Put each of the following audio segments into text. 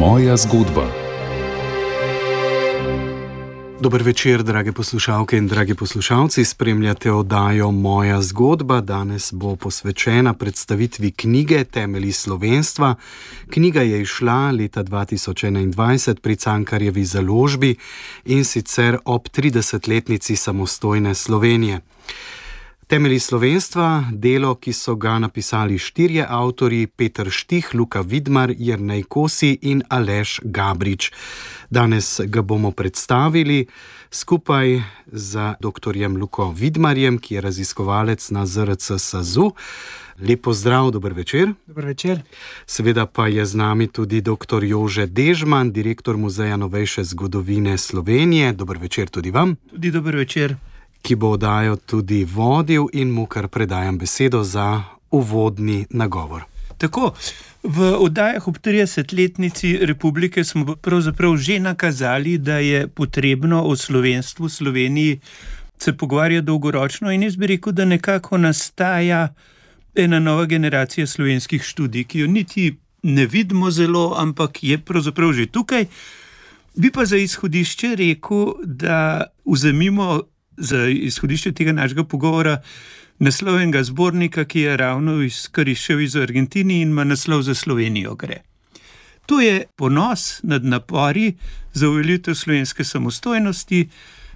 Moja zgodba. Dober večer, drage poslušalke in dragi poslušalci. Spremljate oddajo Moja zgodba. Danes bo posvečena predstavitvi knjige Temelji slovenstva. Knjiga je izšla leta 2021 pri Cankarjevi založbi in sicer ob 30-letnici samostojne Slovenije. Temelji slovenstva, delo, ki so ga napisali 4 avtorji: Peter Štih, Luka Vidmar, Jernej Kosi in Aleš Gabrič. Danes ga bomo predstavili skupaj z doktorjem Luko Vidmarjem, ki je raziskovalec na ZRC SAZU. Lep pozdrav, dober večer. Dober večer. Seveda pa je z nami tudi dr. Jože Dežman, direktor Muzeja novejše zgodovine Slovenije. Dober večer tudi vam. Tudi dober večer. Ki bo oddajo tudi vodil in mu kar predajam besedo za uvodni nagovor. Tako, v oddajah ob 30-letnici republike smo pravzaprav že nakazali, da je potrebno o slovenstvu v Sloveniji se pogovarjati dolgoročno, in jaz bi rekel, da nekako nastaja ena nova generacija slovenskih študij, ki jo niti ne vidimo zelo, ampak je pravzaprav že tukaj. Bi pa za izhodišče rekel, da vzemimo za izhodišče tega našega pogovora naslov enega zbornika, ki je ravno izkoriščal iz Argentini in ima naslov Za Slovenijo gre. To je ponos nad napori za uveljavitev slovenske samostojnosti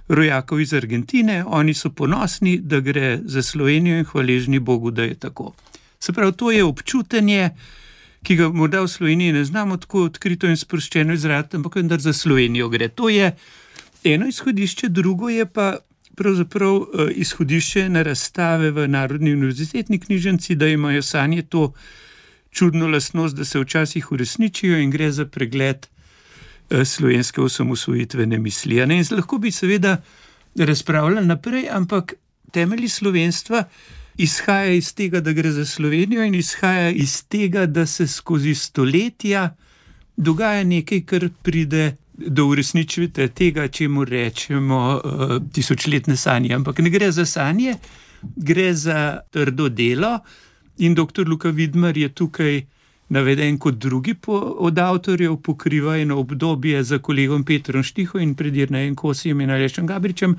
rojakov iz Argentine. Oni so ponosni, da gre za Slovenijo, in hvaležni Bogu, da je tako. Se pravi, to je občutenje, ki ga morda v Sloveniji ne znamo tako odkrito in sproščeno izraziti, ampak vendar za Slovenijo gre. To je eno izhodišče, drugo je pa pravzaprav izhodišče na razstave v Narodni univerzitetni knjižnici, da imajo sanje to čudno lastnost, da se včasih uresničijo, in gre za pregled slovenske osamosvojitvene misli. In lahko bi seveda razpravljali naprej, ampak temelji slovenstva izhaja iz tega, da gre za Slovenijo, in izhaja iz tega, da se skozi stoletja dogaja nekaj, kar pride do uresničitve tega, čemu rečemo tisočletne sanje. Ampak ne gre za sanje, gre za trdo delo, in dr. Luka Vidmar je tukaj naveden kot drugi od avtorjev, pokriva eno obdobje za kolegom Petrom Štihom in pred Jernejem Kosijem in Alešem Gabričem,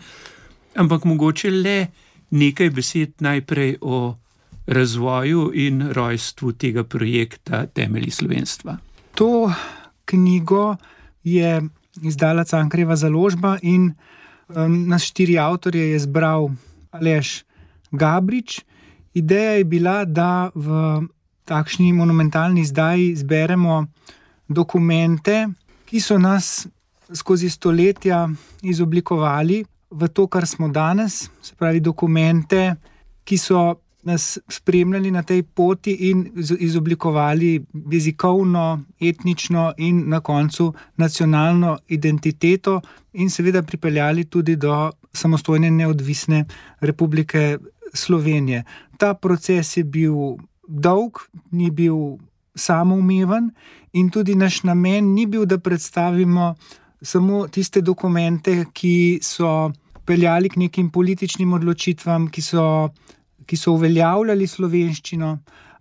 ampak mogoče le nekaj besed najprej o razvoju in rojstvu tega projekta Temelji slovenstva. To knjigo je izdala Cankarjeva založba in nas 4 avtorje je zbral Aleš Gabrič. Ideja je bila, da v takšni monumentalni izdaji zberemo dokumente, ki so nas skozi stoletja izoblikovali v to, kar smo danes, se pravi dokumente, ki so nas spremljali na tej poti in izoblikovali jezikovno, etnično in na koncu nacionalno identiteto in seveda pripeljali tudi do samostojne neodvisne Republike Slovenije. Ta proces je bil dolg, ni bil samoumeven, in tudi naš namen ni bil, da predstavimo samo tiste dokumente, ki so peljali k nekim političnim odločitvam, ki so uveljavljali slovenščino,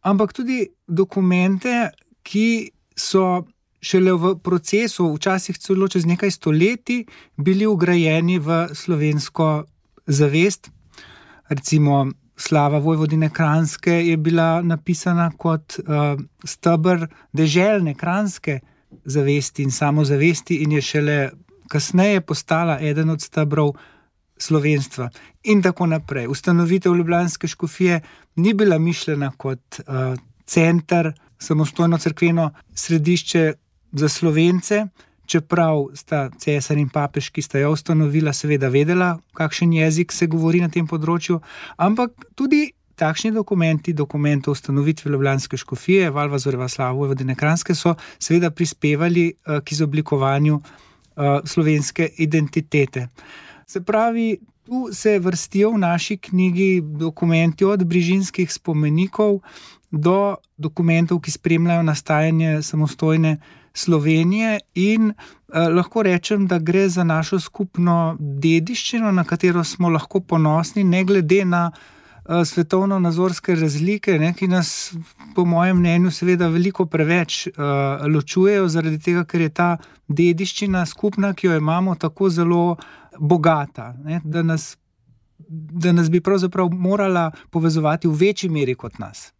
ampak tudi dokumente, ki so šele v procesu, včasih celo čez nekaj stoletij, bili vgrajeni v slovensko zavest. Recimo slava Vojvodine Kranjske je bila napisana kot steber deželne kranjske zavesti in samozavesti in je šele kasneje postala eden od stebrov slovenstva in tako naprej. Ustanovitev ljubljanske škofije ni bila mišljena kot center, samostojno cerkveno središče za Slovence, čeprav sta cesar in papež, ki sta jo ustanovila, seveda vedela, kakšen jezik se govori na tem področju, ampak tudi takšni dokument o ustanovitvi ljubljanske škofije, Valvazorjeva slava Vojvodine Kranjske, so seveda prispevali k izoblikovanju slovenske identitete. Se pravi, tu se vrstijo v naši knjigi dokumenti od brižinskih spomenikov do dokumentov, ki spremljajo nastajanje samostojne Slovenije, in lahko rečem, da gre za našo skupno dediščino, na katero smo lahko ponosni, ne glede na svetovno-nazorske razlike, ne, ki nas, po mojem mnenju, seveda veliko preveč ločujejo, zaradi tega, ker je ta dediščina skupna, ki jo imamo, tako zelo bogata, ne, da nas bi pravzaprav morala povezovati v večji meri kot nas.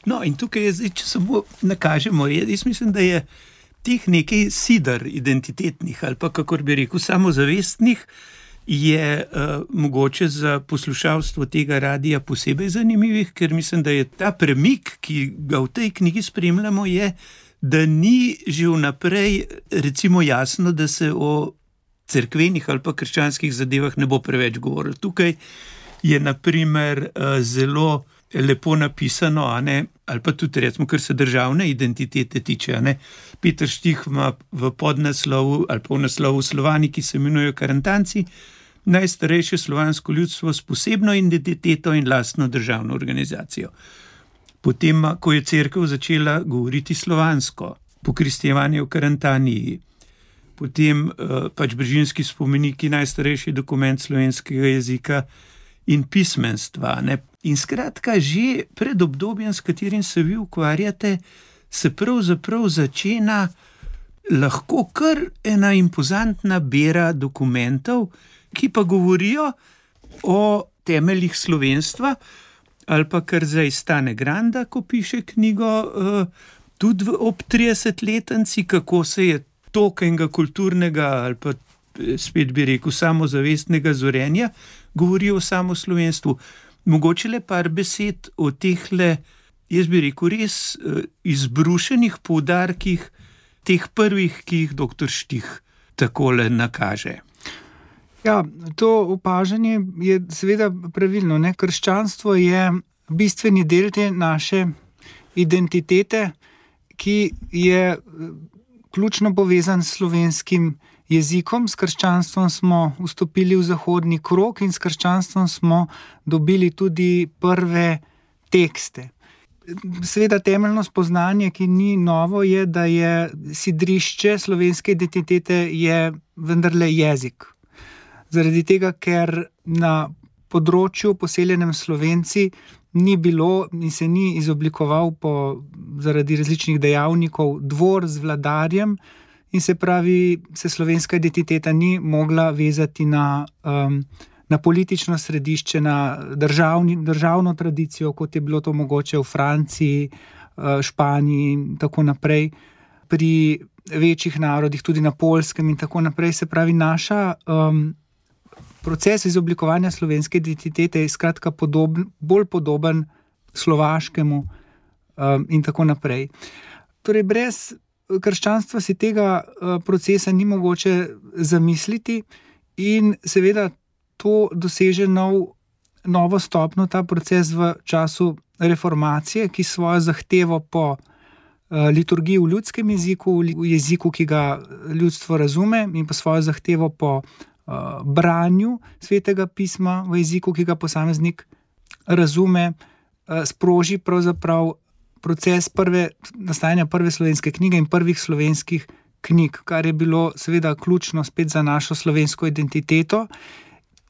No, in tukaj je zdaj, če samo nakažemo, jaz mislim, da je teh nekaj sidar identitetnih ali pa, kakor bi rekel, samozavestnih, je mogoče za poslušalstvo tega radija posebej zanimivih, ker mislim, da je ta premik, ki ga v tej knjigi spremljamo, je, da ni že vnaprej recimo jasno, da se o cerkvenih ali pa krščanskih zadevah ne bo preveč govorilo. Tukaj je na primer zelo lepo napisano, ali pa tudi recimo, kar se državne identitete tiče. Peter Štih ima v podnaslovu ali pa v naslovu Slovani, ki se imenujejo Karantanci, najstarejše slovansko ljudstvo s posebno identiteto in lastno državno organizacijo. Potem, ko je cerkev začela govoriti slovansko, pokristjevanje v Karantaniji, potem pač Brežinski spomeniki, najstarejši dokument slovenskega jezika in pismenstva. In skratka, že pred obdobjem, s katerim se vi ukvarjate, se pravzaprav začena lahko kar ena impozantna bera dokumentov, ki pa govorijo o temeljih slovenstva, ali pa kar zdaj Stane Granda, ko piše knjigo, tudi ob 30-letnici, kako se je tokenega kulturnega ali pa spet bi rekel samozavestnega zorenja govori o samoslovenstvu. Mogoče le par besed o tehle, jaz bi rekel, res izbrušenih poudarkih teh prvih, ki jih dr. Štih takole nakaže. Ja, to opažanje je seveda pravilno. Krščanstvo je bistveni del te naše identitete, ki je ključno povezan s slovenskim jezikom. S krščanstvom smo vstopili v zahodni krog in s krščanstvom smo dobili tudi prve tekste. Seveda temeljno spoznanje, ki ni novo, je, da je sidrišče slovenske identitete je vendarle jezik. Zaradi tega, ker na področju poseljenem Slovenci ni bilo in se ni izoblikoval zaradi različnih dejavnikov dvor z vladarjem in se pravi, se slovenska identiteta ni mogla vezati na politično središče, na državno tradicijo, kot je bilo to mogoče v Franciji, Španiji in tako naprej, pri večjih narodih, tudi na Poljskem in tako naprej. Se pravi, naša proces izoblikovanja slovenske identitete je skratka bolj podoben slovaškemu in tako naprej. Torej, brez krščanstva si tega procesa ni mogoče zamisliti in seveda to doseže novo stopnjo, ta proces v času reformacije, ki svojo zahtevo po liturgiji v ljudskem jeziku, v jeziku, ki ga ljudstvo razume, in pa svojo zahtevo po branju svetega pisma v jeziku, ki ga posameznik razume, sproži pravzaprav proces nastajanja prve slovenske knjige in prvih slovenskih knjig, kar je bilo seveda ključno spet za našo slovensko identiteto.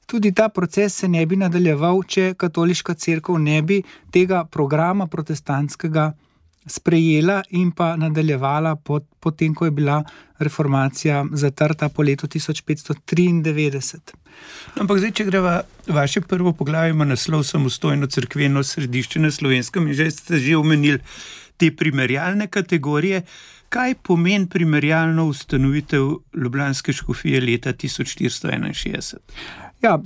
Tudi ta proces se ne bi nadaljeval, če katoliška cerkev ne bi tega programa protestantskega sprejela in pa nadaljevala potem, ko je bila reformacija zatrta po letu 1593. Ampak zdaj, če greva vaše prvo poglavje, ima naslov Samostojno cerkveno središče na Slovenskem in že ste omenili te primerjalne kategorije. Kaj pomeni primerjalno ustanovitev ljubljanske škofije leta 1461? Ja,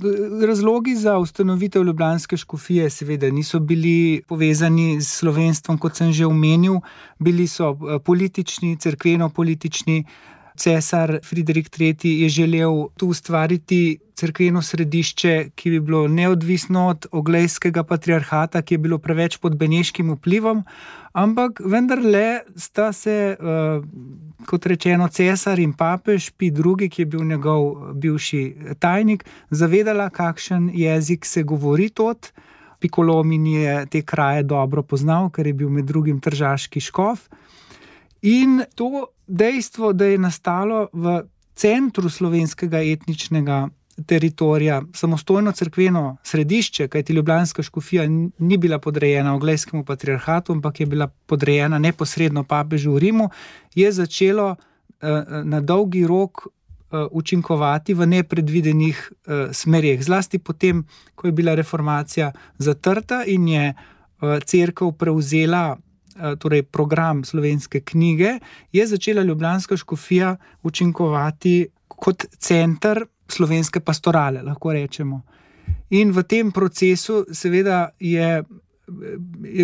razlogi za ustanovitev ljubljanske škofije seveda niso bili povezani s slovenstvom, kot sem že omenil, bili so politični, cerkveno-politični. Cesar Friderik III. Je želel tu ustvariti cerkveno središče, ki bi bilo neodvisno od oglejskega patriarhata, ki je bilo preveč pod beneškim vplivom, ampak vendarle sta se, kot rečeno, cesar in papež Pij II., ki je bil njegov bivši tajnik, zavedala, kakšen jezik se govori tod. Piccolomini je te kraje dobro poznal, ker je bil med drugim tržaški škof. In to dejstvo, da je nastalo v centru slovenskega etničnega teritorija samostojno cerkveno središče, kajti ljubljanska škofija ni bila podrejena Oglejskemu patriarhatu, ampak je bila podrejena neposredno papežu v Rimu, je začelo na dolgi rok učinkovati v nepredvidenih smereh. Zlasti potem, ko je bila reformacija zatrta in je cerkev prevzela torej program slovenske knjige, je začela ljubljanska škofija učinkovati kot center slovenske pastorale, lahko rečemo. In v tem procesu seveda je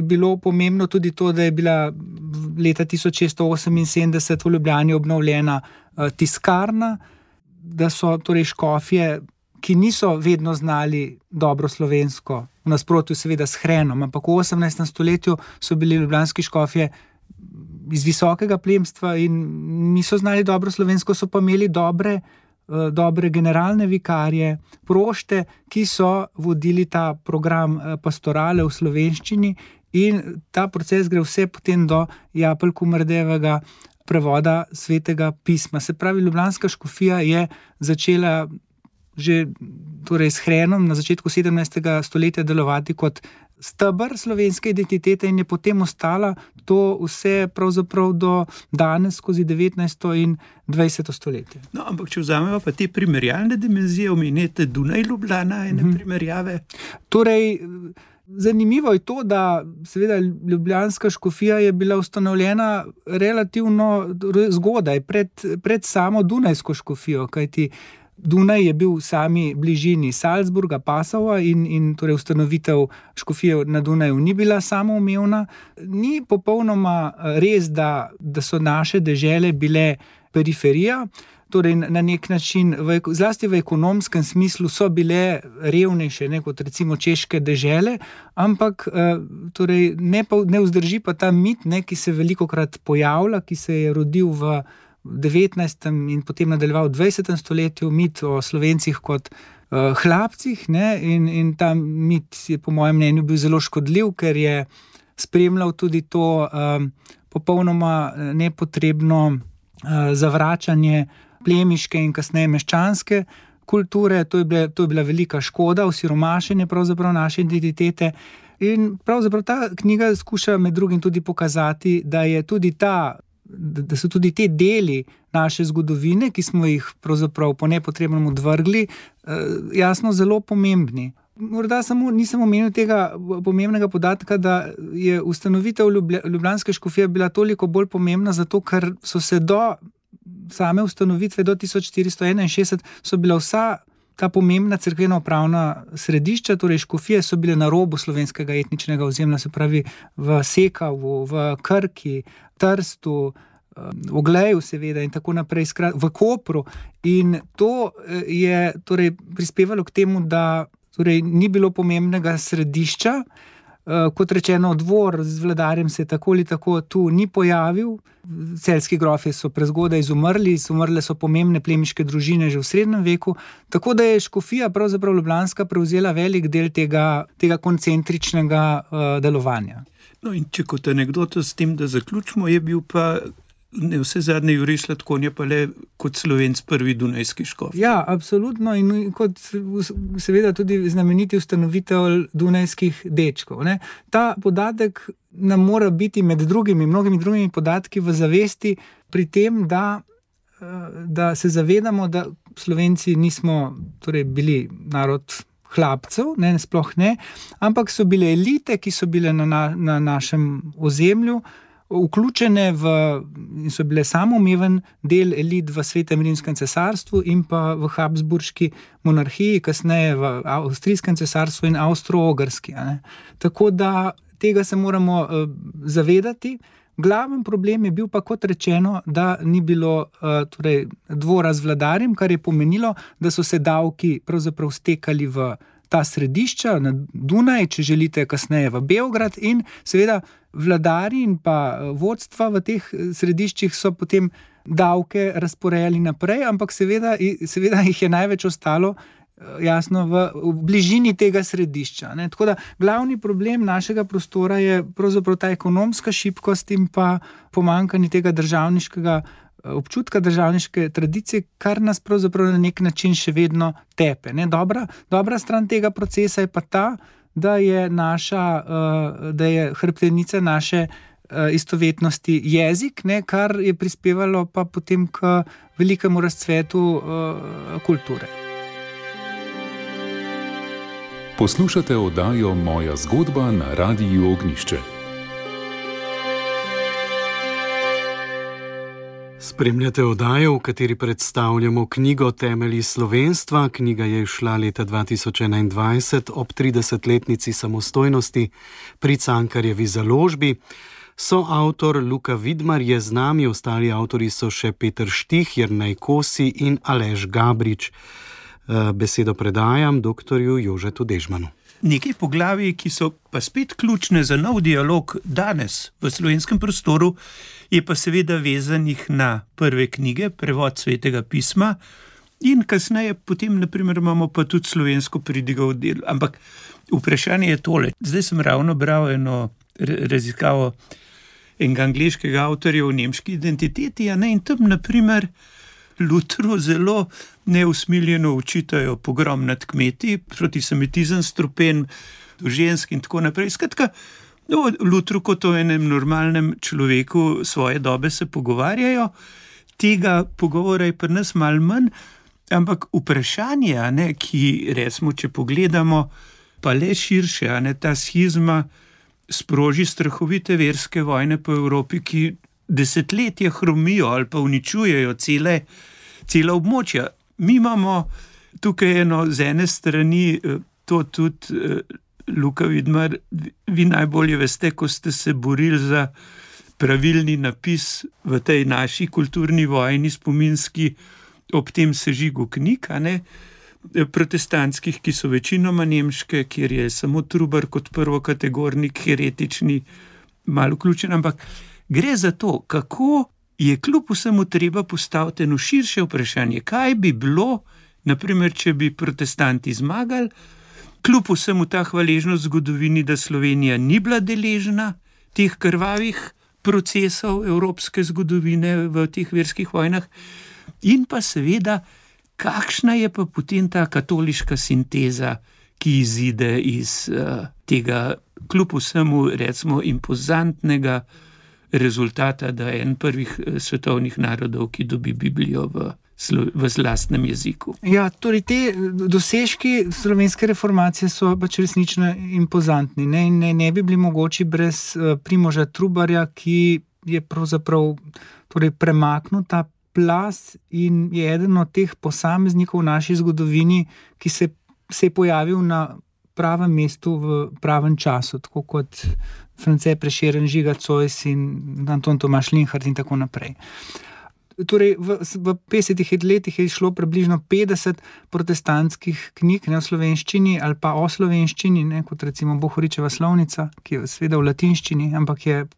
bilo pomembno tudi to, da je bila leta 1678 v Ljubljani obnovljena tiskarna, da so torej škofje, ki niso vedno znali dobro slovensko, v nasprotju seveda s Hrenom, ampak v 18. stoletju so bili ljubljanski škofje iz visokega plemstva in niso znali dobro slovensko, so pa imeli dobre generalne vikarje, prošte, ki so vodili ta program pastorale v slovenščini, in ta proces gre vse potem do Japelj-Kumardejevega prevoda Svetega pisma. Se pravi, ljubljanska škofija je začela že torej s Hrenom na začetku 17. stoletja delovati kot steber slovenske identitete in je potem ostala to vse pravzaprav do danes skozi 19. in 20. stoletje. No, ampak če vzamemo pa te primerjalne dimenzije, omenjate Dunaj, Ljubljana, ene primerjave? Torej, zanimivo je to, da seveda ljubljanska škofija je bila ustanovljena relativno zgodaj, pred samo Dunajsko škofijo, kajti Dunaj je bil v sami bližini Salzburga, Passauja in torej ustanovitev škofije na Dunaju ni bila samoumevna. Ni popolnoma res, da so naše dežele bile periferija, torej na nek način, zlasti v ekonomskem smislu, so bile revnejše, kot recimo češke dežele, ampak torej ne vzdrži pa ta mit, ki se velikokrat pojavlja, ki se je rodil v 19. in potem nadaljeval v 20. stoletju, mit o Slovencih kot hlapcih, in ta mit je po mojem mnenju bil zelo škodljiv, ker je spremljal tudi to popolnoma nepotrebno zavračanje plemiške in kasneje meščanske kulture. To je bila velika škoda, osiromašenje pravzaprav naše identitete. In pravzaprav ta knjiga skuša med drugim tudi pokazati, da so tudi te deli naše zgodovine, ki smo jih pravzaprav po nepotrebnem odvrgli, jasno zelo pomembni. Morda samo nisem omenil tega pomembnega podatka, da je ustanovitev ljubljanske škofije bila toliko bolj pomembna, zato ker so se do same ustanovitve do 1461 so bila vsa ta pomembna cerkveno-upravna središča, torej škofije, so bile na robu slovenskega etničnega ozemlja, se pravi v Sekavu, v Krki, Trstu, v Ogleju seveda in tako naprej, v Kopru. In to je torej prispevalo k temu, da torej ni bilo pomembnega središča. Kot rečeno, dvor z vladarjem se tako ali tako tu ni pojavil. Celjski grofje so prezgodaj izumrli, umrle so pomembne plemiške družine že v srednjem veku, tako da je škofija pravzaprav ljubljanska prevzela velik del tega koncentričnega delovanja. No in če kot anekdoto s tem, da zaključimo, je bil pa vse zadnje Jurij Sladkonja pa le kot Slovenc prvi dunajski škof. Ja, absolutno, in kot seveda tudi znameniti ustanovitelj dunajskih dečkov. Ta podatek nam mora biti med mnogimi drugimi podatki v zavesti pri tem, da se zavedamo, da Slovenci nismo torej bili narod hlapcev, sploh ne, ampak so bile elite, ki so bile na našem ozemlju, vključene in so bile samoumeven del elit v Svetem rimskem cesarstvu in pa v Habsburški monarhiji, kasneje v Avstrijskem cesarstvu in Avstro-Ogrski. Tako da tega se moramo zavedati. Glaven problem je bil pa, kot rečeno, da ni bilo torej, dvora z vladarjem, kar je pomenilo, da so se davki pravzaprav stekali v ta središča, na Dunaj, če želite, kasneje v Beograd, in seveda vladarji in pa vodstva v teh središčih so potem davke razporejali naprej, ampak seveda jih je največ ostalo jasno v bližini tega središča. Tako da glavni problem našega prostora je pravzaprav ta ekonomska šibkost in pa pomanjkanje tega državniškega občutka državniške tradicije, kar nas pravzaprav na nek način še vedno tepe. Ne? Dobra stran tega procesa je pa ta, da je hrbtenica naše istovetnosti jezik, ne? Kar je prispevalo pa potem k velikemu razcvetu kulture. Poslušate oddajo Moja zgodba na Radiu Ognjišče. Spremljate oddajo, v kateri predstavljamo knjigo Temelji slovenstva. Knjiga je izšla leta 2021 ob 30-letnici samostojnosti pri Cankarjevi založbi. Soavtor Luka Vidmar je z nami, ostali avtorji so še Peter Štih, Jernej Kosi in Aleš Gabrič. Besedo predajam doktorju Jožetu Dežmanu. Nekaj poglavij, ki so pa spet ključne za nov dialog danes v slovenskem prostoru, je pa seveda vezanih na prve knjige, prevod Svetega pisma in kasneje potem, naprimer, imamo pa tudi slovensko pridigo v delu. Ampak vprašanje je tole. Zdaj sem ravno bral eno raziskavo enega angleškega avtorja o nemški identiteti, in tam, naprimer, Lutru zelo neusmiljeno očitajo pogrom nad kmeti, protisemitizem, strupen do žensk in tako naprej. Skratka, Lutru kot o enem normalnem človeku svoje dobe se pogovarjajo, tega pogovora je pri nas malo manj, ampak vprašanje, ki recimo, če pogledamo, pa le širše, ta schizma sproži strahovite verske vojne po Evropi, ki desetletja hromijo ali pa uničujejo cela območja. Mi imamo tukaj z ene strani, to tudi Luka Vidmar, vi najbolje veste, ko ste se borili za pravilni napis v tej naši kulturni vojni spominski ob tem sežigu knjig, protestantskih, ki so večinoma nemške, kjer je samo Trubar kot prvokategornik heretični malo vključen, ampak gre za to, kako je kljub vsemu treba postaviti eno širše vprašanje. Kaj bi bilo, naprimer, če bi protestanti zmagali, kljub vsemu ta hvaležnost zgodovini, da Slovenija ni bila deležna teh krvavih procesov evropske zgodovine v teh verskih vojnah, in pa seveda, kakšna je pa potem ta katoliška sinteza, ki izide iz tega kljub vsemu, recimo, impozantnega rezultata, da je en prvih svetovnih narodov, ki dobi Biblijo v lastnem jeziku. Ja, torej te dosežki slovenske reformacije so pač resnično impozantni. Ne bi bili mogoči brez Primoža Trubarja, ki je pravzaprav premaknil ta plaz in je eden od teh posameznikov v naši zgodovini, ki se je pojavil na pravem mestu v pravem času, tako kot France Prešeren, Žiga Zois in Anton Tomaž Linhart in tako naprej. Torej, v 50 letih je išlo približno 50 protestantskih knjig, v slovenščini ali pa o slovenščini, kot recimo Bohoričeva slovnica, ki je seveda v latinščini, ampak je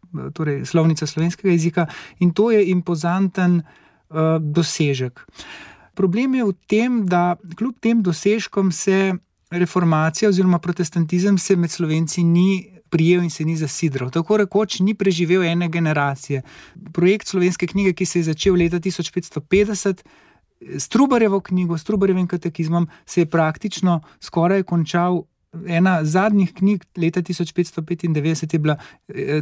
slovnica slovenskega jezika, in to je impozanten dosežek. Problem je v tem, da kljub tem dosežkom se reformacija oziroma protestantizem se med Slovenci ni prijel in se ni zasidral. Tako rekoč ni preživel ene generacije. Projekt slovenske knjige, ki se je začel leta 1550, s Trubarjevo knjigo, s Trubarjevim katekizmom, se je praktično skoraj končal. Ena zadnjih knjig leta 1595 je bila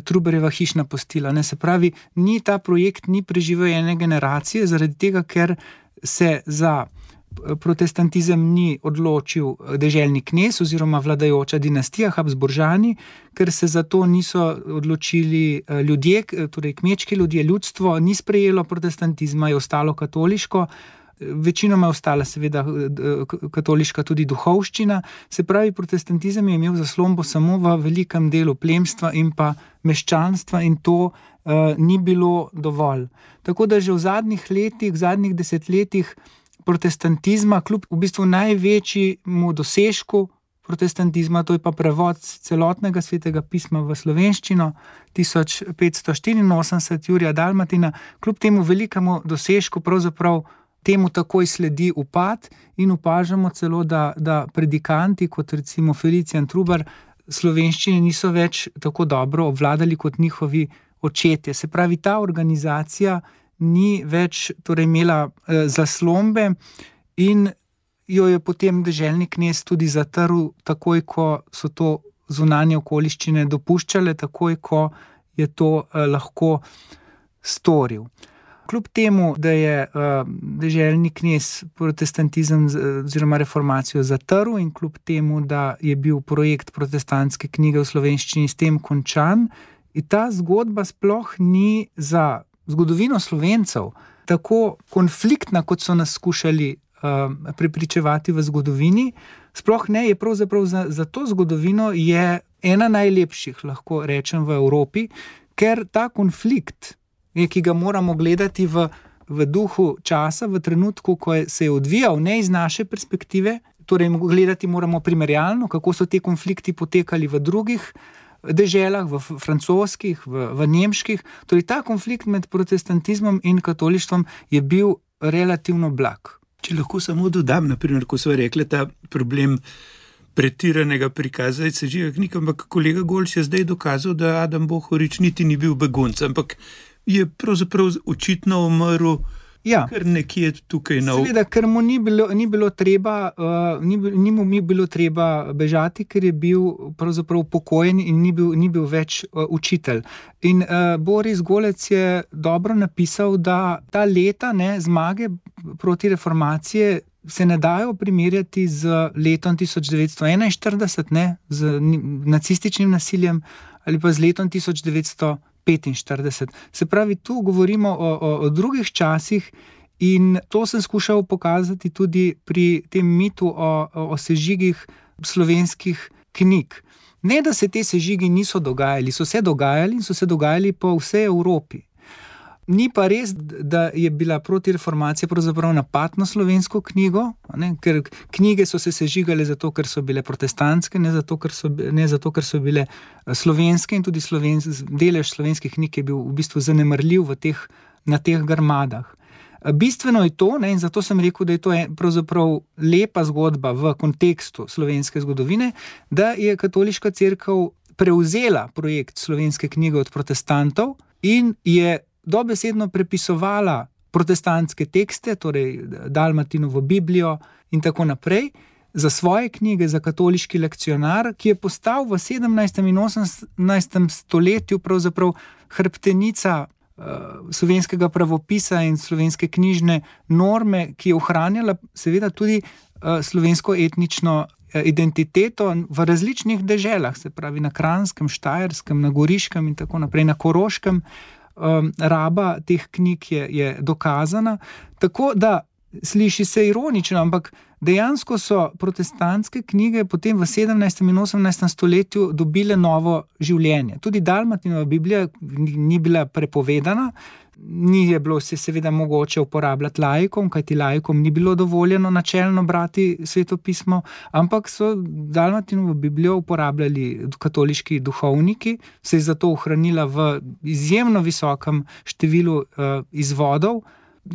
Trubarjeva hišna postila. Se pravi, ta projekt ni preživel ene generacije, zaradi tega, ker se za protestantizem ni odločil deželni knez oziroma vladajoča dinastija Habsburžani, ker se za to niso odločili ljudje, torej kmečki ljudje, ljudstvo ni sprejelo protestantizma, je ostalo katoliško. Večinoma je ostala seveda katoliška tudi duhovščina, se pravi, protestantizem je imel zaslombo samo v velikem delu plemstva in pa meščanstva in to ni bilo dovolj. Tako da že v zadnjih desetletjih protestantizma, kljub v bistvu največjemu dosežku protestantizma, to je pa prevod celotnega Svetega pisma v slovenščino 1584 Jurija Dalmatina, kljub temu velikemu dosežku pravzaprav temu takoj sledi upad in opažamo celo, da predikanti, kot recimo Felicijan Trubar, slovenščine niso več tako dobro obvladali kot njihovi očetje. Se pravi, ta organizacija ni več torej imela zaslombe in jo je potem deželni knez tudi zatrl, takoj ko so to zunanje okoliščine dopuščale, takoj ko je to lahko storil. Kljub temu, da je deželni knez protestantizem oziroma reformacijo zatrl in kljub temu, da je bil projekt protestantske knjige v slovenščini s tem končan, in ta zgodba sploh ni za zgodovino Slovencev tako konfliktna, kot so nas skušali prepričevati v zgodovini. Sploh ne, je pravzaprav za to zgodovino je ena najlepših, lahko rečem, v Evropi, ker ta konflikt, ki ga moramo gledati v duhu časa, v trenutku, ko se je odvijal, ne iz naše perspektive, torej gledati moramo primerjalno, kako so te konflikti potekali v drugih deželah, v francoskih, v nemških. Torej ta konflikt med protestantizmom in katolištvom je bil relativno blag. Če lahko samo dodam, naprimer, ko sva rekla ta problem pretiranega prikaza sežiga knjig, ampak kolega Golš je zdaj dokazal, da Adam Bohorič niti ni bil begunc, ampak je pravzaprav očitno umrl kar nekje tukaj na Seveda, ker mu ni bilo treba bežati, ker je bil pravzaprav upokojen in ni bil več učitelj. In Boris Golec je dobro napisal, da ta leta zmage proti reformacije se ne dajo primerjati z letom 1941, z nacističnim nasiljem, ali pa z letom 1945. Se pravi, tu govorimo o drugih časih in to sem skušal pokazati tudi pri tem mitu o sežigih slovenskih knjig. Ne, da se te sežigi niso dogajali, so se dogajali po vsej Evropi. Ni pa res, da je bila protireformacija pravzaprav napad na slovensko knjigo, ker knjige so se sežigale zato, ker so bile protestantske, ne zato, ker so bile slovenske, in tudi delež slovenskih knjig je bil v bistvu zanemarljiv na teh grmadah. Bistveno je to, in zato sem rekel, da je to pravzaprav lepa zgodba v kontekstu slovenske zgodovine, da je katoliška cerkev prevzela projekt slovenske knjige od protestantov in je dobesedno prepisovala protestantske tekste, torej Dalmatinovo Biblijo in tako naprej, za svoje knjige, za katoliški lekcionar, ki je postal v 17. in 18. stoletju pravzaprav hrbtenica slovenskega pravopisa in slovenske knjižne norme, ki je ohranjala seveda tudi slovensko etnično identiteto v različnih deželah, se pravi na Kranjskem, Štajerskem, na Goriškem in tako naprej, na Koroškem. Raba teh knjig je dokazana, tako da sliši se ironično, ampak dejansko so protestantske knjige potem v 17. in 18. stoletju dobile novo življenje. Tudi Dalmatinova Biblija ni bila prepovedana, ni je bilo se seveda mogoče uporabljati laikom, kajti laikom ni bilo dovoljeno načelno brati svetopismo, ampak so Dalmatinovo Biblijo uporabljali katoliški duhovniki, se je zato ohranila v izjemno visokem številu izvodov.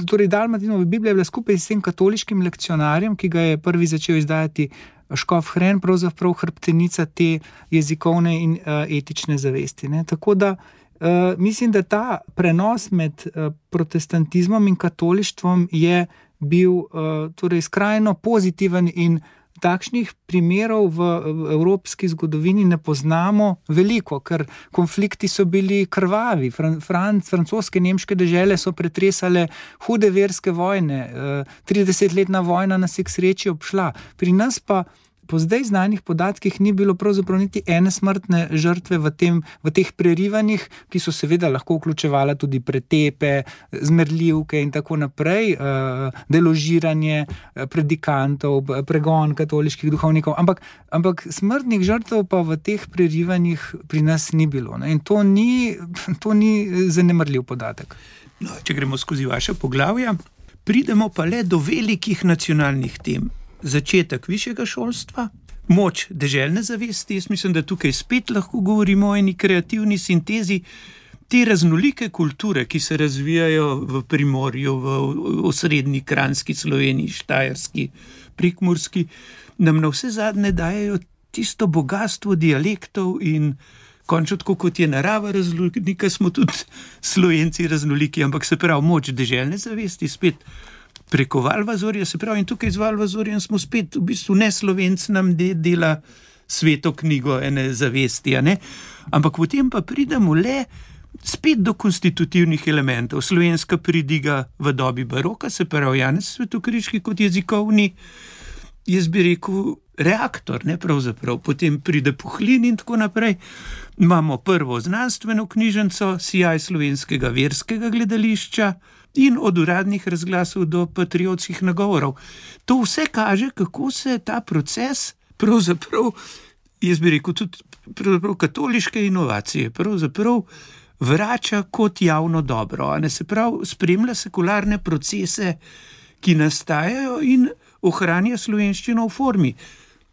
Torej, Dalmatinova Biblija je bila skupaj s tem katoliškim lekcionarjem, ki ga je prvi začel izdajati škof Hren, pravzaprav hrbtenica te jezikovne in etične zavesti. Tako da mislim, da ta prenos med protestantizmom in katolištvom je bil torej skrajno pozitiven in takšnih primerov v evropski zgodovini ne poznamo veliko, ker konflikti so bili krvavi. Francoske, nemške dežele so pretresale hude verske vojne, 30-letna vojna nas je k sreči obšla. Pri nas pa po zdaj znanih podatkih ni bilo pravzaprav niti ene smrtne žrtve v teh prerivanjih, ki so seveda lahko vključevala tudi pretepe, zmerljivke in tako naprej, deložiranje predikantov, pregon katoliških duhovnikov, ampak smrtnih žrtev pa v teh prerivanjih pri nas ni bilo. In to ni zanemarljiv podatek. No, če gremo skozi vaše poglavja, pridemo pa le do velikih nacionalnih tem. Začetek višjega šolstva, moč deželne zavesti, jaz mislim, da tukaj spet lahko govorimo o eni kreativni sintezi te raznolike kulture, ki se razvijajo v Primorju, v osrednji Kranjski Sloveniji, Štajerski, Prekmurski, nam na vse zadnje dajejo tisto bogatstvo dialektov in končno tako kot je narava raznolika, smo tudi Slovenci raznoliki, ampak se pravi moč deželne zavesti spet preko Valvazorja, se pravi, in tukaj z Valvazorjem smo spet, v bistvu ne Slovenc nam dela Sveto knjigo ene zavesti, ampak potem pa pridemo le spet do konstitutivnih elementov. Slovenska pridiga v dobi baroka, se pravi Janez Svetokriški kot jezikovni, jaz bi rekel, reaktor, pravzaprav. Potem pride Puhlin in tako naprej. Imamo prvo znanstveno knjižnico, sijaj slovenskega verskega gledališča in od uradnih razglasov do patriotskih nagovorov. To vse kaže, kako se ta proces pravzaprav, jaz bi rekel, tudi katoliške inovacije, pravzaprav vrača kot javno dobro. Se pravi, spremlja sekularne procese, ki nastajajo in ohranja slovenščino v formi.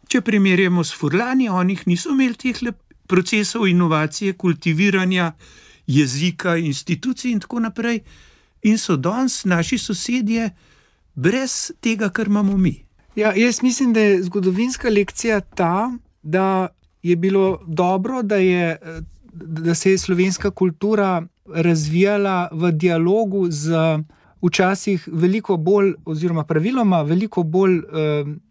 Če primerjamo s Furlani, oni niso imeli teh procesov inovacije, kultiviranja jezika, institucij in tako naprej, in so danes naši sosedje brez tega, kar imamo mi. Ja, jaz mislim, da je zgodovinska lekcija ta, da je bilo dobro, da se je slovenska kultura razvijala v dialogu z včasih veliko bolj, oziroma praviloma veliko bolj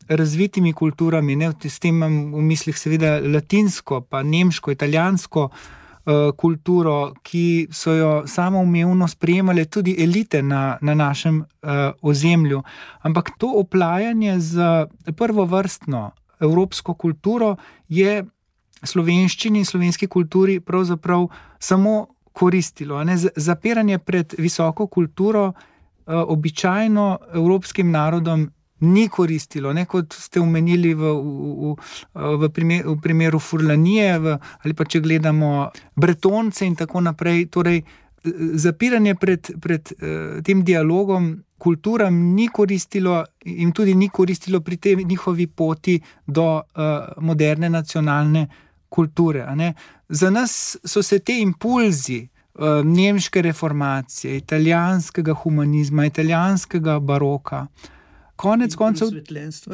razvitimi kulturami. S tem imam v mislih seveda latinsko, pa nemško, italijansko kulturo, ki so jo samoumevno sprejemale tudi elite na našem ozemlju. Ampak to oplajanje z prvovrstno evropsko kulturo je slovenščini in slovenski kulturi pravzaprav samo koristilo. Zapiranje pred visoko kulturo običajno evropskim narodom ni koristilo, kot ste omenili v primeru Furlanije, ali pa če gledamo Bretonce in tako naprej. Torej, zapiranje pred tem dialogom kulturam ni koristilo in tudi ni koristilo pri tej njihovi poti do moderne nacionalne kulture. Za nas so se te impulzi nemške reformacije, italijanskega humanizma, italijanskega baroka, konec koncev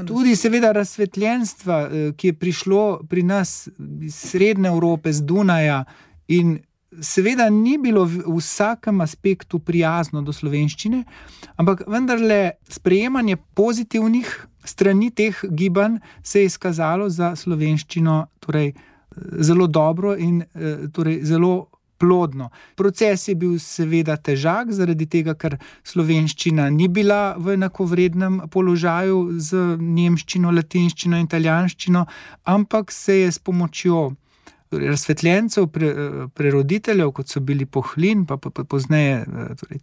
tudi seveda razsvetljenstva, ki je prišlo pri nas iz Srednje Evrope, z Dunaja, in seveda ni bilo v vsakem aspektu prijazno do slovenščine, ampak vendarle sprejemanje pozitivnih strani teh gibanj se je izkazalo za slovenščino torej zelo dobro in torej zelo plodno. Proces je bil seveda težak, zaradi tega, ker slovenščina ni bila v enakovrednem položaju z nemščino, latinščino in italijanščino, ampak se je s pomočjo razsvetljencev, preroditeljev, kot so bili Puhlin, pa pozneje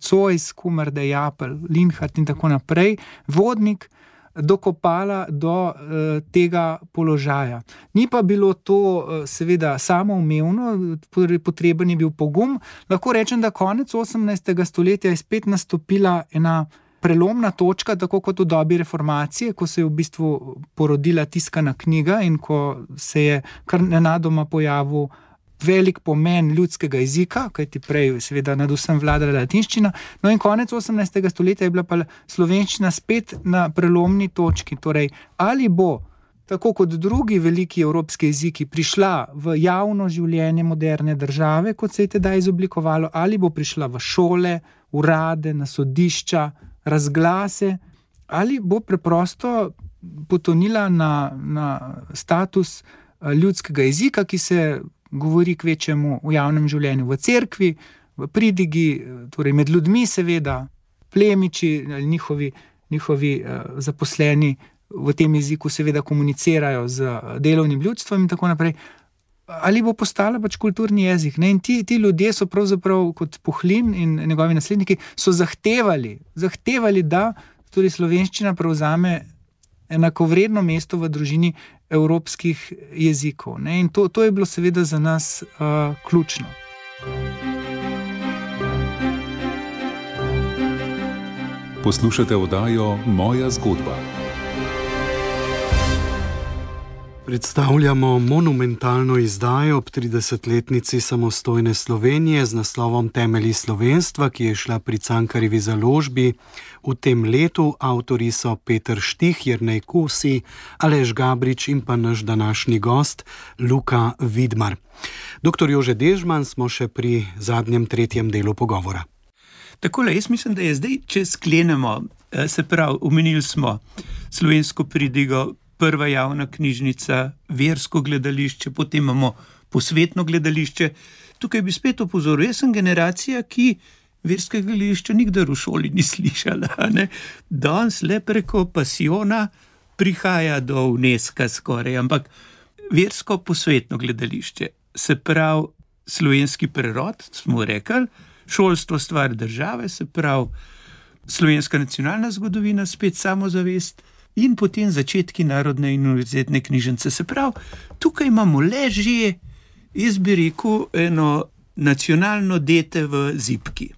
Zois, Kumarde, Japelj, Linhart in tako naprej, Vodnik, dokopala do tega položaja. Ni pa bilo to seveda samoumevno, potreben je bil pogum. Lahko rečem, da konec 18. stoletja je spet nastopila ena prelomna točka, tako kot v dobi reformacije, ko se je v bistvu porodila tiskana knjiga in ko se je kar nenadoma pojavil velik pomen ljudskega jezika, kajti prej seveda nad vsem vladala latinščina. No in konec 18. stoletja je bila pa slovenščina spet na prelomni točki. Torej, ali bo, tako kot drugi veliki evropski jeziki, prišla v javno življenje moderne države, kot se je tedaj izoblikovalo, ali bo prišla v šole, urade, na sodišča, razglase, ali bo preprosto potonila na status ljudskega jezika, ki se govori kvečemu v javnem življenju, v cerkvi, v pridigi, torej med ljudmi seveda, plemiči ali njihovi zaposleni v tem jeziku seveda komunicirajo z delovnim ljudstvom in tako naprej. Ali bo postala pač kulturni jezik. In ti ljudje so pravzaprav kot Puhlin in njegovi nasledniki so zahtevali, da torej slovenščina prevzame enakovredno mesto v družini evropskih jezikov. In to je bilo seveda za nas ključno. Poslušate oddajo Moja zgodba. Predstavljamo monumentalno izdajo ob 30-letnici samostojne Slovenije z naslovom Temelji slovenstva, ki je šla pri Cankarjevi založbi v tem letu. Avtorji so Peter Štih, Jernej Kosi, Aleš Gabrič in pa naš današnji gost Luka Vidmar. Dr. Jože Dežman, smo še pri zadnjem, tretjem delu pogovora. Takole, jaz mislim, da je zdaj, če sklenemo, se pravi, omenili smo slovensko pridigo, prva javna knjižnica, versko gledališče, potem imamo posvetno gledališče. Tukaj bi spet opozoril, jaz sem generacija, ki verskega gledališča nikdar v šoli ni slišala. Ne? Danes le preko pasiona prihaja do UNESCO skoraj, ampak versko posvetno gledališče, se pravi slovenski prerod, smo rekli, šolstvo stvar države, se pravi slovenska nacionalna zgodovina, spet samozavest, in potem začetki Narodne in univerzitetne knjižnice. Se pravi, tukaj imamo le že, jaz bi rekel, eno nacionalno dete v zibki.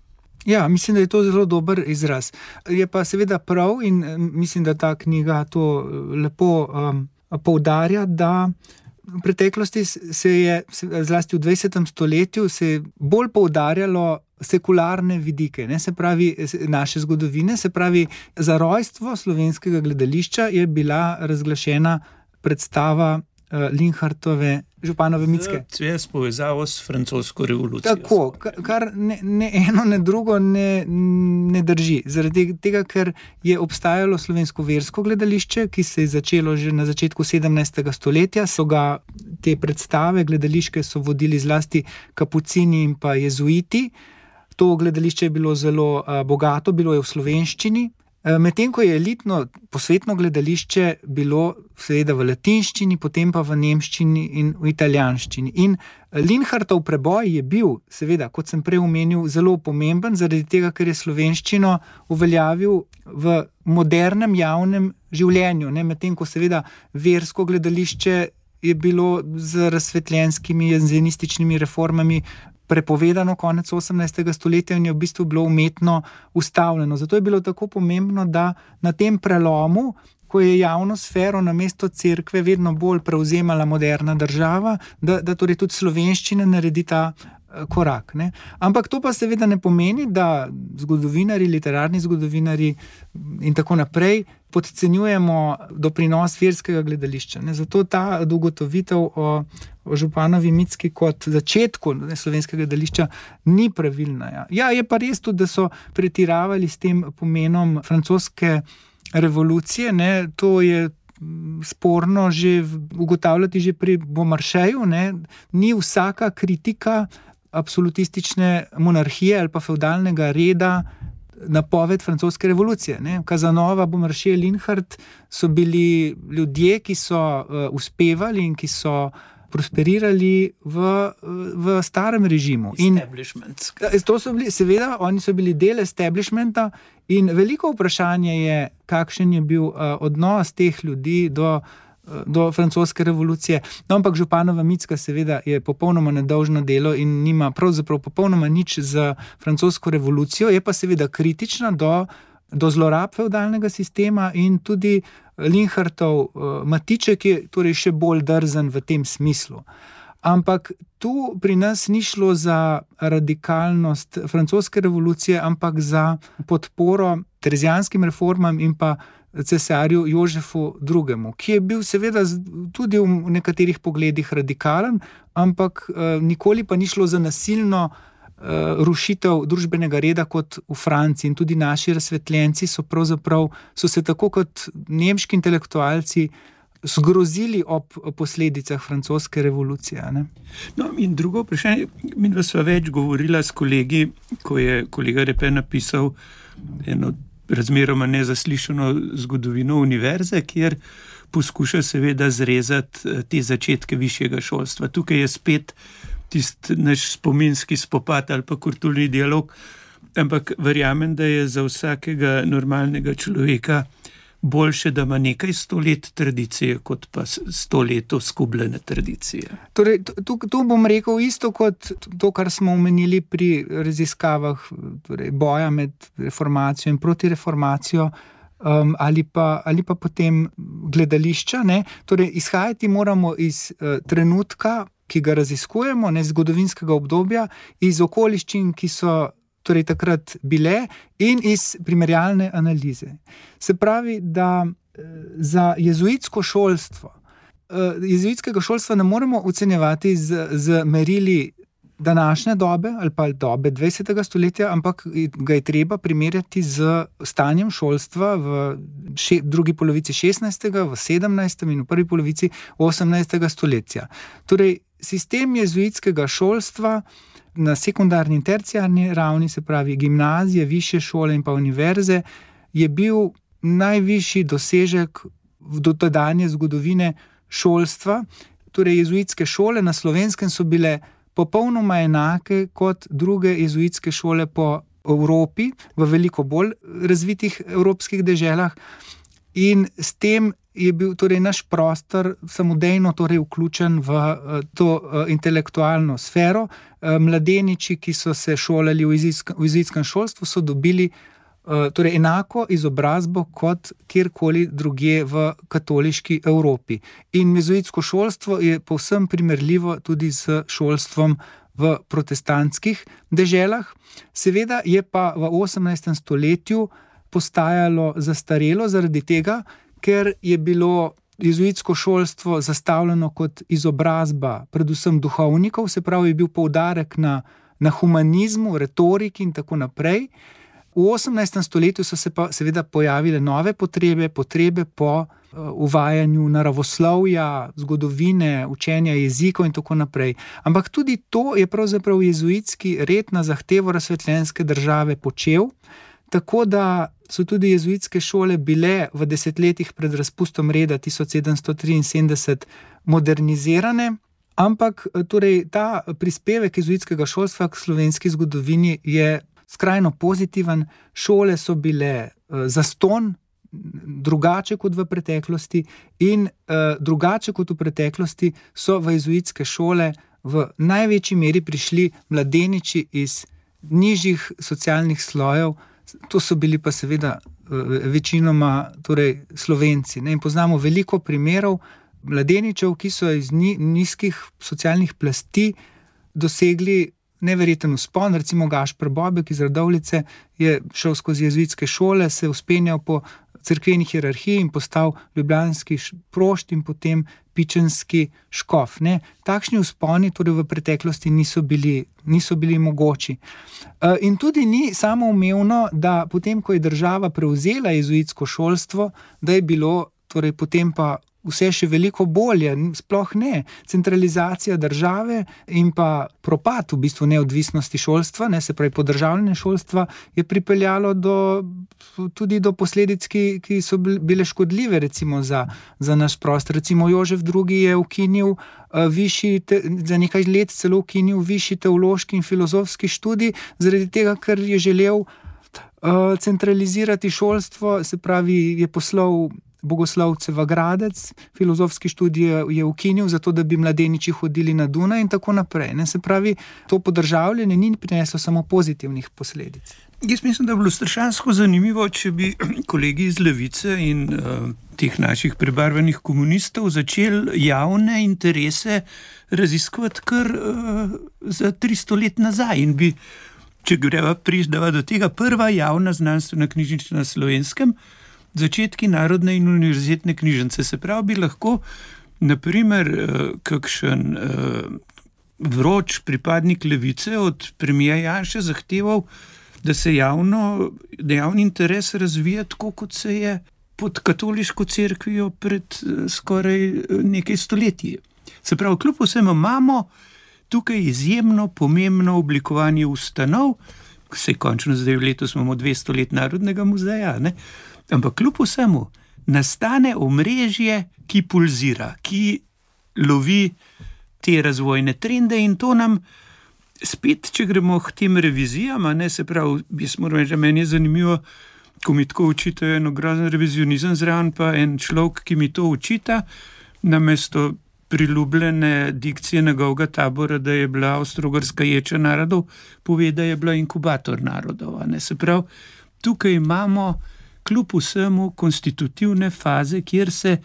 Ja, mislim, da je to zelo dober izraz. Je pa seveda prav in mislim, da ta knjiga to lepo poudarja, da v preteklosti se je, zlasti v 20. stoletju, se je bolj poudarjalo sekularne vidike, ne, se pravi naše zgodovine, se pravi za rojstvo slovenskega gledališča je bila razglašena predstava Linhartove Županove Micke. S povezavo s francosko revolucijo. Tako, kar ne eno, ne drugo ne drži. Zaradi tega, ker je obstajalo slovensko versko gledališče, ki se je začelo že na začetku 17. stoletja, so ga te predstave gledališke so vodili zlasti kapucini in pa jezuiti. To gledališče je bilo zelo bogato, bilo je v slovenščini, medtem ko je elitno posvetno gledališče bilo seveda v latinščini, potem pa v nemščini in v italijanščini. In Linhartov preboj je bil, seveda, kot sem prej omenil, zelo pomemben, zaradi tega, ker je slovenščino uveljavil v modernem javnem življenju, ne? Medtem ko seveda versko gledališče je bilo z razsvetljenskimi enzenističnimi reformami prepovedano konec 18. stoletja in je v bistvu bilo umetno ustavljeno. Zato je bilo tako pomembno, da na tem prelomu, ko je javno sfero namesto cerkve vedno bolj prevzemala moderna država, da torej tudi slovenščina naredi ta korak. Ne? Ampak to pa seveda ne pomeni, da zgodovinari, literarni zgodovinari in tako naprej podcenjujemo doprinos verskega gledališča. Ne? Zato ta ugotovitev o Županovi Micki kot začetku slovenskega gledališča ni pravilna. Ja, je pa res tudi, da so pretiravali s tem pomenom francoske revolucije, ne? To je sporno že ugotavljati že pri Beaumarchayu, ne? Ni vsaka kritika absolutistične monarhije ali pa feudalnega reda napoved francoske revolucije. Ne? Casanova, Beaumarchais, Linhart so bili ljudje, ki so uspevali in ki so prosperirali v starem režimu. Establishment. To so bili, seveda, oni so bili del establishmenta in veliko vprašanje je, kakšen je bil odnos teh ljudi do francoske revolucije. No, ampak Županova Micka seveda je popolnoma nedolžno delo in nima pravzaprav popolnoma nič z francosko revolucijo, je pa seveda kritična do zlorab feudalnega sistema in tudi Linhartov Matiček je torej še bolj drzen v tem smislu. Ampak tu pri nas ni šlo za radikalnost francoske revolucije, ampak za podporo terezijanskim reformam in pa cesarju Jožefu II., ki je bil seveda tudi v nekaterih pogledih radikalen, ampak nikoli pa ni šlo za nasilno rušitev družbenega reda kot v Franciji. In tudi naši razsvetljenci so se tako kot nemški intelektualci zgrozili ob posledicah francoske revolucije. Ne? No, in drugo vprašanje, mi sva več govorila s kolegi, ko je kolega Repe napisal eno razmeroma nezaslišano zgodovino univerze, kjer poskuša seveda zrezati te začetke višjega šolstva. Tukaj je spet tisti naš spominski spopad ali pa kulturni dialog, ampak verjamem, da je za vsakega normalnega človeka boljše, da ima nekaj 100 let tradicije, kot pa 100 let skubljene tradicije. Torej, tu bom rekel isto kot to, kar smo omenili pri raziskavah torej boja med reformacijo in protireformacijo. ali pa potem gledališča. Ne? Torej, izhajati moramo iz trenutka, ki ga raziskujemo, ne, zgodovinskega obdobja, iz okoliščin, ki so torej takrat bile, in iz primerjalne analize. Se pravi, da za jezuitsko šolstvo, jezuitskega šolstva ne moremo ocenjevati z merili današnje dobe ali pa dobe 20. stoletja, ampak ga je treba primerjati z stanjem šolstva v drugi polovici 16., v 17. in v prvi polovici 18. stoletja. Torej, sistem jezuitskega šolstva na sekundarni in terciarni ravni, se pravi gimnazije, višje šole in pa univerze, je bil najvišji dosežek v dotedanje zgodovine šolstva. Torej, jezuitske šole na Slovenskem so bile popolnoma enake kot druge jezuitske šole po Evropi, v veliko bolj razvitih evropskih deželah, in s tem je bil torej naš prostor samodejno torej vključen v to intelektualno sfero. Mladeniči, ki so se šolali v jezuitskem šolstvu, so dobili torej enako izobrazbo kot kjerkoli drugje v katoliški Evropi. In jezuitsko šolstvo je povsem primerljivo tudi s šolstvom v protestantskih deželah. Seveda je pa v 18. stoletju postajalo zastarelo zaradi tega, ker je bilo jezuitsko šolstvo zastavljeno kot izobrazba predvsem duhovnikov, se pravi, je bil poudarek na humanizmu, retoriki in tako naprej. V 18. stoletju so se pa seveda pojavile nove potrebe po uvajanju naravoslovja, zgodovine, učenja jezikov in tako naprej. Ampak tudi to je pravzaprav jezuitski red na zahtevo razsvetljenske države počel, tako da so tudi jezuitske šole bile v desetletjih pred razpustom reda 1773 modernizirane, ampak torej ta prispevek jezuitskega šolstva k slovenski zgodovini je skrajno pozitiven. Šole so bile zastonj, drugače kot v preteklosti, in drugače kot v preteklosti so v jezuitske šole v največji meri prišli mladeniči iz nižjih socialnih slojev. To so bili pa seveda večinoma torej Slovenci. In poznamo veliko primerov mladeničev, ki so iz nizkih socialnih plasti dosegli neverjeten vzpon. Recimo Gašper Bobek iz Radovljice je šel skozi jezuitske šole, se vzpenjal po cerkveni hierarhiji in postal ljubljanski prošt in potem pičenski škof. Takšni vzponi torej v preteklosti niso bili mogoči. In tudi ni samoumevno, da potem, ko je država prevzela jezuitsko šolstvo, da je bilo torej potem pa vse še veliko bolje, sploh ne. Centralizacija države in pa propad v bistvu neodvisnosti šolstva, se pravi podržavljanje šolstva, je pripeljalo tudi do posledic, ki so bile škodljive recimo za naš prostor. Recimo Jožef II. Je ukinil za nekaj let celo ukinil višji teološki in filozofski študij, zaradi tega, ker je želel centralizirati šolstvo, se pravi je poslal bogoslovce v Gradec, filozofski študij je ukinil, zato da bi mladeniči hodili na Dunaj in tako naprej. Se pravi, to podržavljanje ni prineslo samo pozitivnih posledic. Jaz mislim, da bi bilo strašansko zanimivo, če bi kolegi iz Levice in teh naših prebarvanih komunistov začeli javne interese raziskovati kar za 300 let nazaj in bi, če greva prišdava do tega, prva javna znanstvena knjižnica na Slovenskem, začetki narodne in univerzitetne knjižnice. Se pravi, bi lahko, naprimer, kakšen vroč pripadnik Levice od premijera Janše zahteval, da se javni interes razvija tako, kot se je pod katoliško cerkvijo pred skoraj nekaj stoletji. Se pravi, kljub vsemu imamo tukaj izjemno pomembno oblikovanje ustanov, saj končno zdaj letos imamo 200 let Narodnega muzeja, ampak kljub vsemu nastane omrežje, ki pulzira, ki lovi te razvojne trende in to nam spet, če gremo k tem revizijam, se pravi, jaz moram reči, meni je zanimivo, ko mi tako učitajo eno grozen revizionizem zraven, pa en človek, ki mi to učita, namesto priljubljene dikcije njegovega tabora, da je bila Avstro-Ogrska ječa narodov, pove, da je bila inkubator narodov. Se pravi, tukaj imamo kljub vsemu konstitutivne faze, kjer se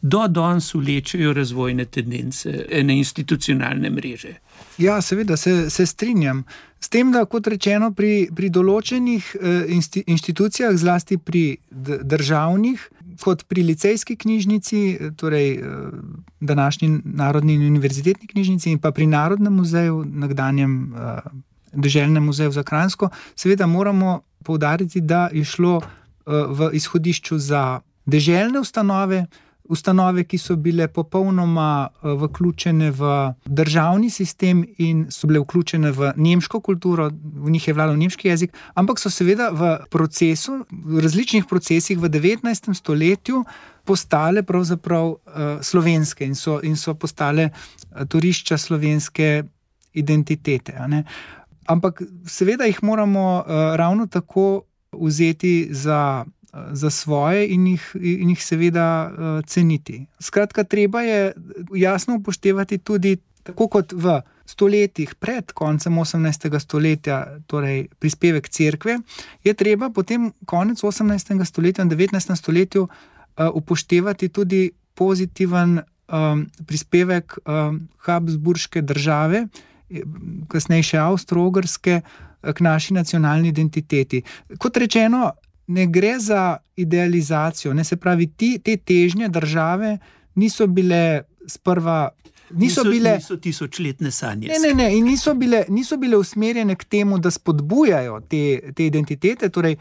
do danes vlečejo razvojne tendence ene institucionalne mreže. Ja, seveda se strinjam. S tem, da kot rečeno pri določenih inštitucijah, zlasti pri državnih, kot pri licejski knjižnici, torej današnji Narodni in univerzitetni knjižnici in pa pri Narodnem muzeju, nekdanjem Deželnem muzeju za Kranjsko, seveda moramo poudariti, da je šlo v izhodišču za deželne ustanove, ki so bile popolnoma vključene v državni sistem in so bile vključene v nemško kulturo, v njih je vladal nemški jezik, ampak so seveda v različnih procesih v 19. stoletju postale pravzaprav slovenske in so postale torišča slovenske identitete. Ampak seveda jih moramo ravno tako vzeti za svoje in jih seveda ceniti. Skratka, treba je jasno upoštevati tudi, tako kot v stoletjih pred koncem 18. stoletja, torej prispevek cerkve, je treba potem konec 18. stoletja in 19. stoletju upoštevati tudi pozitiven prispevek Habsburške države, kasneje še Avstro-Ogrske, k naši nacionalni identiteti. Kot rečeno, ne gre za idealizacijo, se pravi, te težnje države niso bile sprva... Niso tisočletne sanje. Ne, in niso bile usmerjene k temu, da spodbujajo te identitete, torej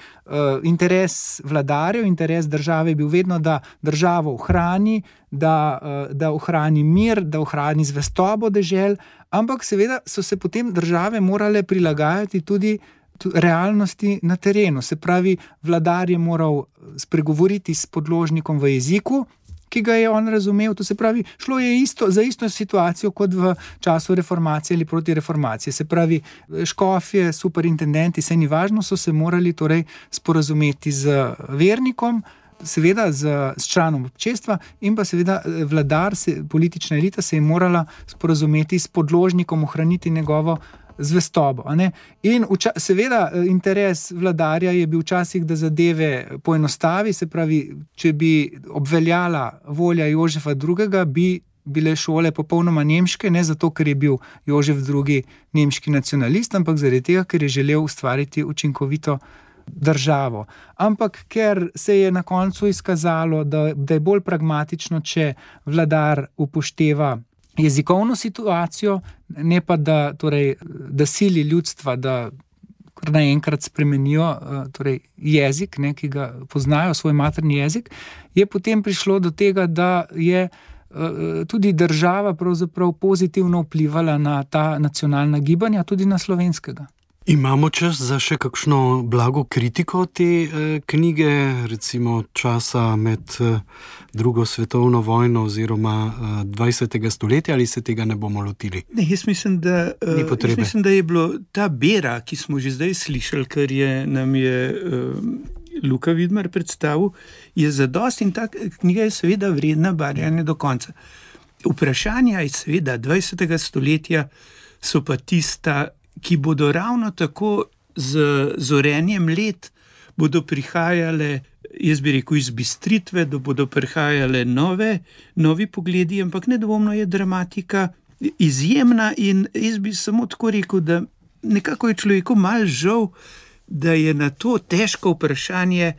interes vladarjev, interes države je bil vedno, da državo ohrani, da ohrani mir, da ohrani zvestobo dežel, ampak seveda so se potem države morale prilagajati tudi realnosti na terenu. Se pravi, vladar je moral spregovoriti s podložnikom v jeziku, ki ga je on razumel. To se pravi, šlo je za isto situacijo kot v času reformacije ali proti reformaciji. Se pravi, škofje, superintendenti, saj ni važno, so se morali torej sporazumeti z vernikom, seveda z članom občestva in pa seveda vladar, politična elita se je morala sporazumeti s podložnikom, ohraniti njegovo zvestobo. In seveda interes vladarja je bil včasih, da zadeve poenostavi, se pravi, če bi obveljala volja Jožefa II., bi bile šole popolnoma nemške, ne zato, ker je bil Jožef II. Nemški nacionalist, ampak zaradi tega, ker je želel ustvariti učinkovito državo. Ampak ker se je na koncu izkazalo, da je bolj pragmatično, če vladar upošteva jezikovno situacijo, ne pa da sili ljudstva, da kar naenkrat spremenijo jezik, ki ga poznajo, svoj materni jezik, je potem prišlo do tega, da je tudi država pravzaprav pozitivno vplivala na ta nacionalna gibanja, tudi na slovenskega. Imamo čas za še kakšno blago kritiko te knjige, recimo časa med drugo svetovno vojno oziroma 20. stoletja, ali se tega ne bomo lotili? Ne, jaz mislim, da je bilo ta bera, ki smo že zdaj slišali, ker nam je Luka Vidmar predstavil, je zadosti in ta knjiga je seveda vredna barjanja do konca. Vprašanja iz seveda 20. stoletja so pa tista, ki bodo ravno tako z zorenjem let bodo prihajale, jaz bi rekel, izbistritve, da bodo prihajale novi pogledi, ampak nedvomno je dramatika izjemna in jaz bi samo tako rekel, da nekako je človeku malo žal, da je na to težko vprašanje,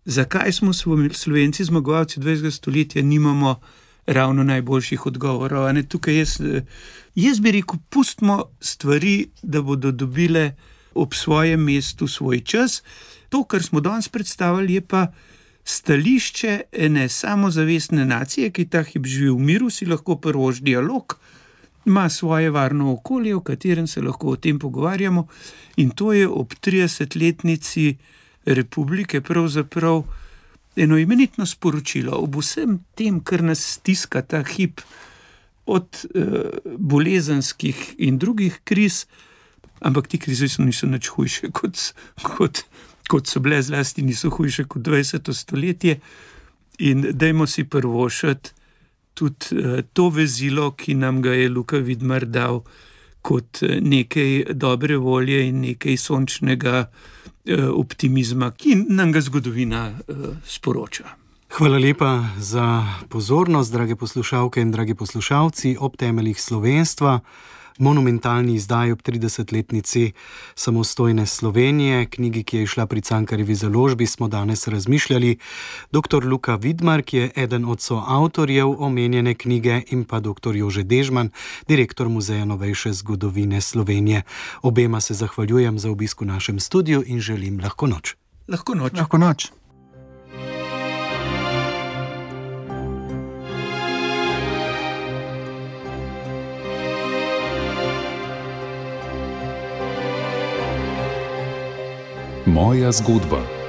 zakaj smo Slovenci zmagovalci 20. stoletja, nimamo ravno najboljših odgovorov. Tukaj jaz bi rekel, pustimo stvari, da bodo dobile ob svojem mestu svoj čas. To, kar smo danes predstavili, je pa stališče ene samozavestne nacije, ki ta hip živi v miru, si lahko prvož dialog, ima svoje varno okolje, v katerem se lahko o tem pogovarjamo, in to je ob 30-letnici republike pravzaprav eno imenitno sporočilo ob vsem tem, kar nas stiska ta hip, od bolezenskih in drugih kriz, ampak ti krize niso nič hujše, kot so bile, zlasti niso hujše kot 20. stoletje, in dajmo si prvošati tudi to vezilo, ki nam ga je Luka Vidmar dal, kot nekaj dobre volje in nekaj sončnega optimizma, ki nam ga zgodovina sporoča. Hvala lepa za pozornost, drage poslušalke in dragi poslušalci. Ob temeljih slovenstva, monumentalni izdaji ob 30-letnici samostojne Slovenije, knjigi, ki je izšla pri Cankarjevi založbi, smo danes razmišljali dr. Luka Vidmar, ki je eden od soavtorjev omenjene knjige, in pa dr. Jože Dežman, direktor Muzeja novejše zgodovine Slovenije. Obema se zahvaljujem za obisk v našem studiu in želim lahko noč. Lahko noč. Lahko noč. Moja zgodba.